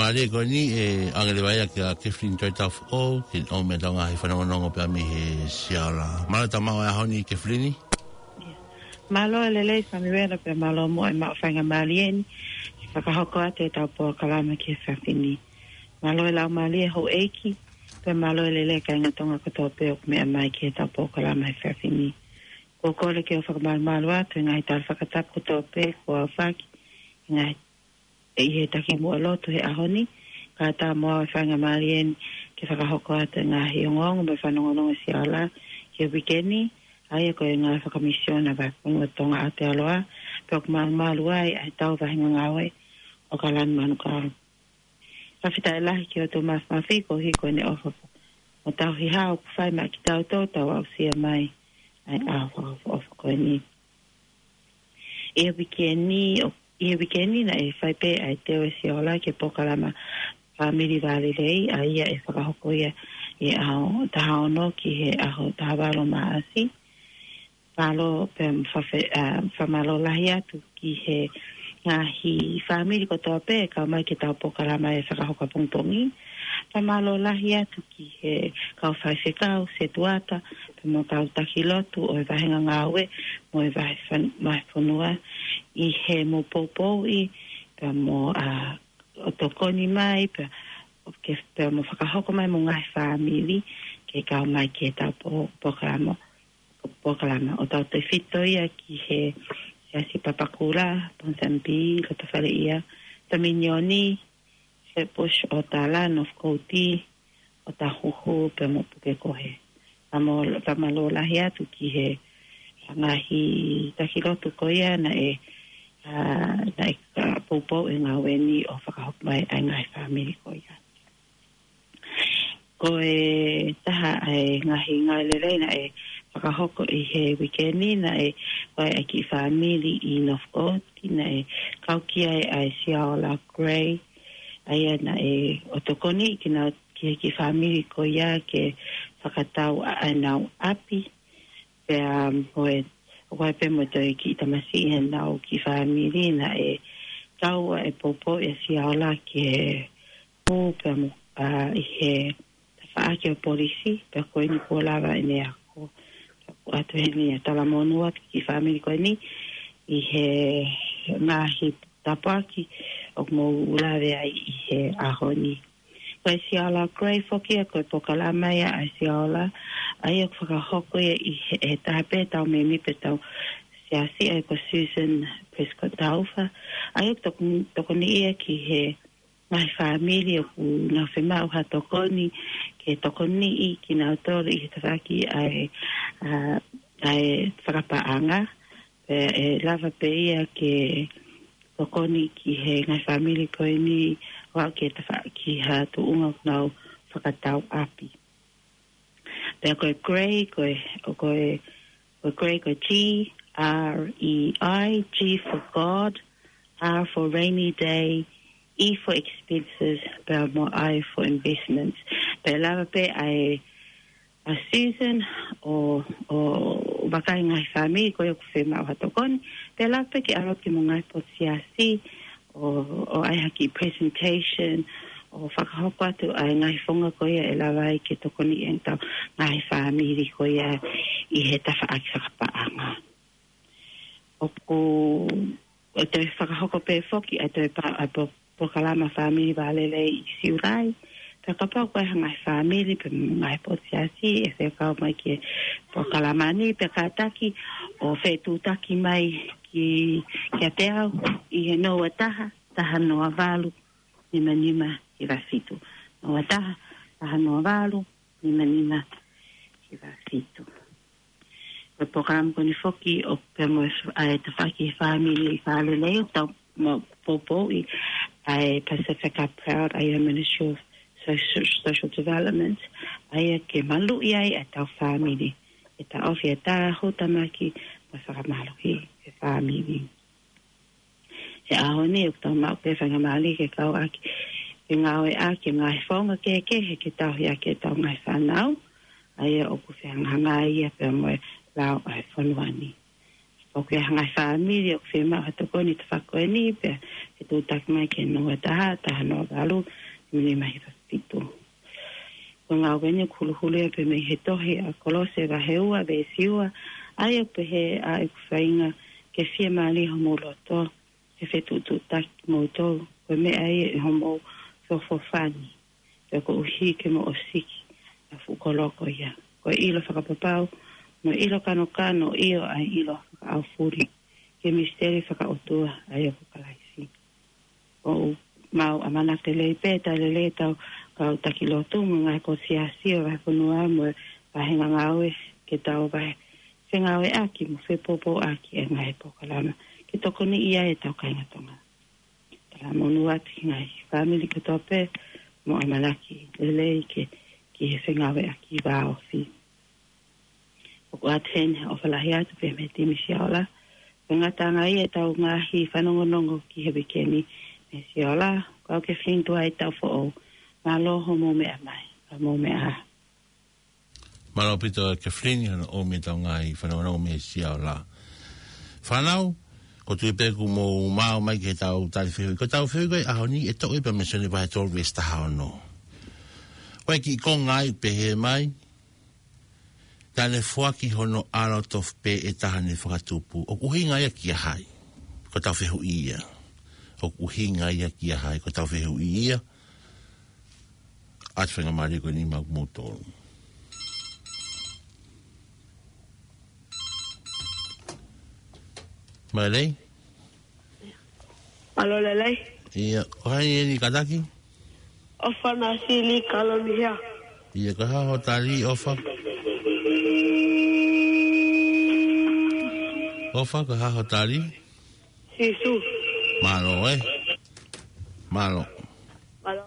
Faingamālie ko eni ʻe ʻoange leva ia kia Kathleen Tuaitaufoʻou, ke ne ʻomi ʻetau ngaahi fanongonongo pea mei he Siaola. Mālō e tau maʻu ʻa e ʻaho ni Kathleen. Mālō e lelei Samiuela pea mālō muʻa e maʻu faingamālie ni ke fakahoko atu ʻetau polokalama ki he efiafi ni. Mālō e laumālie houʻeiki, pea mālō e lelei kāinga Tonga kotoa pē ʻoku meʻa mai ki heʻetau polokalama he efiafi ni. ʻOku ou kole ke u fakamālō atu he ngaahi tala fakatapu kotoa pē kuo aofaki, he ngaahi ʻi he takimuʻa lotu he ʻaho ni, kae ʻatā mo au e faingamālie ni ke fakahoko atu e ngaahi ongoongo mo e fanongonongo Siaola ki he uike ni, ʻa ia ko e ngāue fakamisiona ʻa e Vahefonua Tonga ʻAotearoa, pea ʻoku malumalu ai ʻa e tau vahenga ngāue ʻo Kalani Manukau. Fakafetaʻi lahi ki he ʻOtua Māfimafi koeʻuhi ko ʻene ʻofa mo tauhi hao ʻoku fai maʻa kitautolu, tau aʻusia mai ʻa e ʻaho fakaʻofoʻofa ko eni. ʻI he uike ni, ʻo, ʻi he uike ni naʻe fai pē ʻa e teu ʻe Siaola ki he polokalama Fāmili Vālelei, ʻa ia ʻe fakahoko ia ʻi he ʻaho taha ono ki he ʻaho taha valu Maʻasi. Mālō pea mo fafe-, ʻa, fakamālō lahi atu ki he ngaahi fāmili kotoa pē ʻe kau mai ki heʻetau polokalama ʻe fakahoko ʻapongipongi. Fakamālō lahi atu ki he kau faifekau, setuata, pea mo e kau taki lotu ʻo e vahenga ngāue mo e vahe fan-, vahefonua ʻi heʻemau poupouʻi, pea mo, ʻa, ʻo tokoni mai, pea, ʻo ke, pea mo fakahoko mai mo e ngaahi fāmili ke kau mai ki heʻetau po-, polokalama, polokalama. ʻOku tautefito ia ki he Siasi Papakura, Ponsonby, Lotofaleʻia, Taminioni, Flatbush, ʻOtala, Northcote, ʻOtahuhu, pea mo Pukekohe. Fakamālō, fakamālō lahi atu ki he ngaahi taki lotu ko ia naʻe, ʻa, naʻe, ʻa, poupou e ngāue ni ʻo fakahoko mai ʻa e ngaahi fāmili ko ia. Ko e taha ʻa e ngaahi ngāue lelei naʻe fakahoko ʻi he uike ni naʻe ʻi ai e kiʻi fāmili ʻi Northcote naʻe kau ki ai ʻa e Siaola Gray, ʻa ia naʻe ʻo tokoniʻi kinautolu ki he kiʻi fāmili ko ia ke fakatau ʻa ʻenau ʻapi. Pea, um, ko e, ʻoku ʻi ai pē mo e toe kiʻi tamasiʻi ʻenau kiʻi fāmili naʻe kau ai e poupou ʻa Siaola ki he hū pea mo, ʻa, ʻi he paʻaki ʻo e polisi, pea ko eni kuo lava ʻene ako. ʻOatu heni ʻa e talamonū atu ki he fāmili ko eni, ʻi he ngaahi tāpuaki ʻoku mou lave ai ʻi he ʻaho ni. Ko e Siola Gray foki ia, ko e polokalama ia ʻa e Siola, ʻa ia ʻoku fakahoko ia ʻi he, he taha pē tau mēmipa ʻetau siasi, ʻa ia ko Susan Prescott Taufa, ʻa ia ʻoku tokoni, tokoni ia ki he ngaahi fāmili ʻoku nau fiemaʻu ha tokoni ke tokoniʻi kinautolu ʻi he tafaʻaki ʻa e, ʻa, ʻa e fakapaʻanga. Pea ʻe lava pē ia ke tokoni ki he ngaahi fāmili ko eni ʻo aʻu ki he tafaʻaki ha tuʻunga ʻoku nau fakatau ʻapi. Pea ko e Gray, ko e, ʻo ko e, ko e Gray, ko e G R E I, G for God, R for rainy day, E for expenses, pea mo I for investments. Pea lava pē ʻa e, ʻa Susan ʻo, ʻo vakai ngaahi fāmili ko ia ʻoku fiemaʻu ha tokoni. Pea lava pē ke ʻalu ki mo e ngaahi potu siasi, ʻo, ʻo ʻai ha kiʻi presentation, ʻo fakahoko atu ʻa e ngaahi founga ko ia ʻe lava ai ke tokoniʻi ʻetau ngaahi fāmili ko ia ʻi he tafaʻaki fakapaʻanga. ʻOku, ʻe toe fakahoko pē foki ʻa e toe pa-, ʻa e po-, polokalama fāmili vālelei ʻi Siulai. Pea kapau ko e hā e ngaahi fāmili pe ngaahi potu siasi ʻe fekau mai ki he polokalama ni, pea kātaki ʻo fetuʻutaki mai ki, kiate au ʻi he noa taha, taha noa valu, nima nima hiva fitu. Noa taha, taha noa valu, nima nima hiva fitu. Ko e polokalama ko eni foki ʻoku pea mo e f-, ʻa e tafaʻaki fāmili vālelei ʻoku tau maʻu poupouʻi ʻe he Pasifika Proud, ʻa ia Ministry of Social, Social Development, ʻa ia ke maluʻi ai ʻetau fāmili, ke taʻofi ʻetau tāhutamaki mo e fakamālohi e fāmili. He ʻaho ni ʻoku tau maʻu pē faingamālie ke kau ʻaki, ke ngāueʻaki e ngaahi founga kehekehe ke tauhi ʻaki ʻetau ngaahi fānau, ʻa ia ʻoku fehangahangai ia pea mo e lao ʻa e fonua ni. ʻOku ʻi ai ha ngaahi fāmili ʻoku fiemaʻu ha tokoni tafaʻaki ko eni, pea fetuʻutaki mai ki he noa taha, taha noa valu, nima nima hiva fitu. Ko e ngāue ko eni ʻoku huluhulu ia pē mei he tohi ʻa Kolose vahe ua veesi ua, ʻa ia ʻoku pehē: ʻA ʻeku faʻahinga, ke fiemālie homou loto, ke fetuʻutuʻutaki kimoutolu, ko e meʻa ia ʻi homou feʻofoʻofani, pea koeʻuhi ke mo ʻosiki ʻa e fuʻu kolo ko ia. Ko e ʻilo fakapapau, mo e ʻilo kanokano, ʻio, ʻa e ʻilo fakaʻaufuli ki he misiteli fakaʻotua, ʻa ia ko Kalaisi. ʻOku mau ʻamanaki lelei pē, talitali lelei ʻetau kau taki lotu mo e ngaahi potu siasi ʻo e vahefonua mo e faʻahinga ngāue ke tau vahe fengāueʻaki mo fepoupouʻaki e ngaahi polokalama ke tokoniʻi ai ʻetau kāinga Tonga. Talamonū atu ki he ngaahi fāmili kotoa pē mo e ʻamanaki lelei ke, ki he fengāueʻaki vāofi. ʻOku ʻoatu heni ha ʻofa lahi atu pē mei he timi Siola. Ko e ngataʻanga ia ʻetau ngaahi fanongonongo ki he uike ni mei Siola. Ko au Kefilini Tuʻai Taufoʻou. Mālō hoʻomou meʻa mai, ka mou meʻa ā. Mālō ʻaupito Kefilini hono ʻomi ʻetau ngaahi fanongonongo mei Siola. Fānau, ʻoku ou tui pē kuo mou maʻu mai ki heʻetau tali fehuʻi. Ko ʻetau fehuʻi ko ē ʻaho ni ʻe toʻo ia pē mei Sione vahe tolu veesi taha ono. Ko e kiʻi konga ia ʻoku pehē mai: Naʻa ne foaki hono ʻAlo tofu pē ʻe taha ne fakatupu. ʻOku ʻuhinga ia kia hai? Ko ʻetau fehuʻi ia. ʻOku ʻuhinga ia kia hai? Ko ʻetau fehuʻi ia. ʻOatu e faingamālie ko eni maʻa kimoutolu. Mālō. Mālō lelei. ʻIo, ko hai eni kātaki? ʻOfa Nasili, Kalomihia. ʻIo, ko e hā hoʻo tali, ʻOfa? ʻOfa, ko e hā hoʻo tali? Sīsū. Mālō, ē? Mālō. Mālō.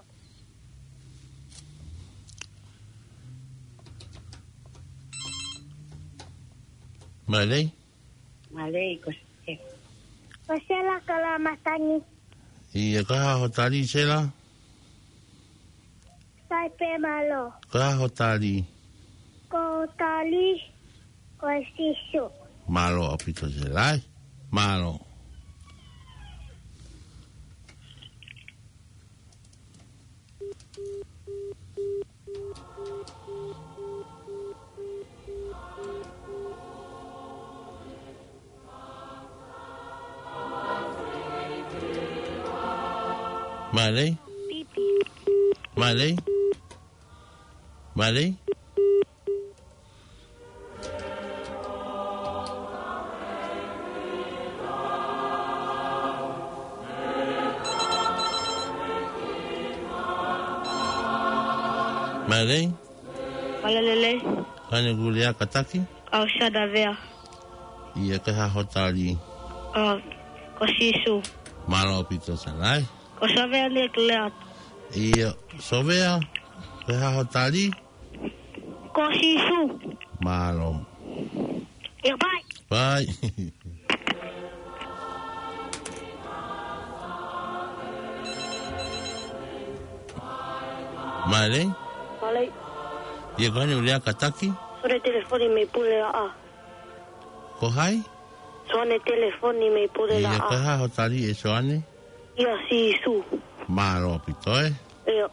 Mālō. Mālō, ko e. Ko Sela Kalamatangi. ʻIo, ko e hā hoʻo tali, Sela? Sai pē, mālō. Ko e hā hoʻo tali? Ko hoku tali, ko Sīsū. Mālō ʻaupito Sela. Mālō. Mālō. Mālō. Mālō. Mālō. Mālō lelei. Ko e hā hoʻo lea, kātaki? Ko Savea. ʻIo, ko e hā hoʻo tali? Ko, ko Sīsū. Mālō ʻaupito, Savea. Ko Savea ʻeni ʻeku lea atu. ʻIo, Savea, ko e hā hoʻo tali? Ko Sīsū. Mālō. ʻIo, bye. Bye. Mālō. Mālō. ʻIo, ko e hā hoʻo lea, kātaki? Soane telefoni mei Pulelaʻā. Ko hai? Soane telefoni mei Pulelaʻā. ʻIo, ko e hā hoʻo tali ʻe Soane? ʻIo, Sīsū. Mālō ʻaupito, ē? ʻIo.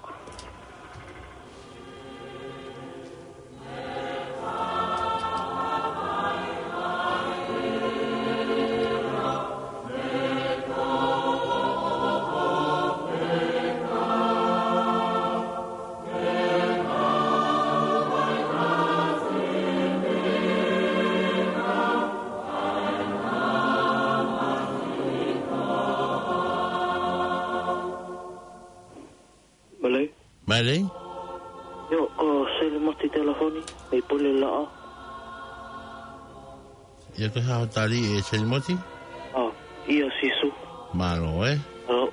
Mālō. Mālō. ʻIo, ko Selimoti telefoni mei Pulelaʻā. ʻIo, ko e hā hoʻo tali ʻe Selimoti? ʻA, ʻio, Sīsū. Mālō, ē? ʻAo.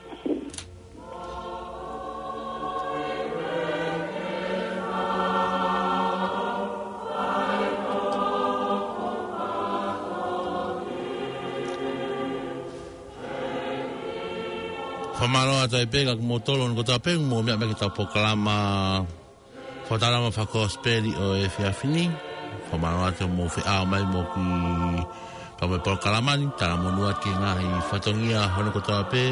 Fakamālō atu ai pē kia kimoutolu kotoa pē ʻoku mou meʻa mai ki heʻetau polokalama Fakatalanoa Fakakosipeli ʻo e efiafi ni. Fakamālō atu hoʻomou feʻao mai mo ki pea mo e polokalama ni, talamonū atu ki he ngaahi fatongia hono kotoa pē,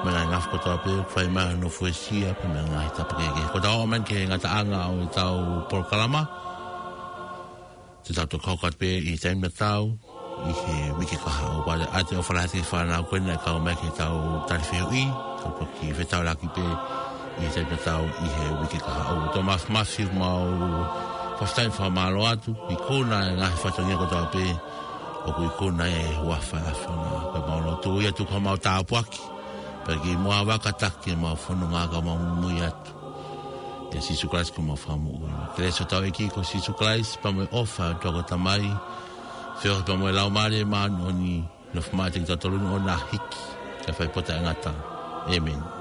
mo e ngaahi ngafa kotoa pē, fai mai hono fuesia, pea mo e ngaahi tapa kehekehe. Ko ʻetau ō mai ki he ngataʻanga ʻo ʻetau polokalama. Te tau toki hoko atu pē ʻi he taimi tatau, ʻi he uike kahaʻu. Pea ʻoatu e ʻofa lahi atu ki he fānau ko ena naʻe kau mai ki heʻetau tali fehuʻi, tau toki fetaulaki pē ʻi he taimi tatau ʻi he uike kahaʻu. Tau mafimafi mo e fakafetaʻi mo e fakamālō atu, ikuna e ngaahi fatongia kotoa pē, ʻoku ikuna ʻe he huafa ʻo e ʻAfiona. Pea mau lotu ia tuku homau tāpuaki, pea ke mau vaka taki ʻemau fononga kae mau muimui atu. ʻIa Sīsū Kalaisi ko homau Fakamoʻui. Kelesi ʻa hotau ʻEiki ko Sīsū Kalaisi, pea mo e ʻofa ʻa e ʻOtua ko e Tamai, feohi pea mo e Laumālie Māʻoniʻoni, nofo maʻa kitautolu ni ʻo na hiki, kae fai pē ʻo taʻengata. ʻĒmeni.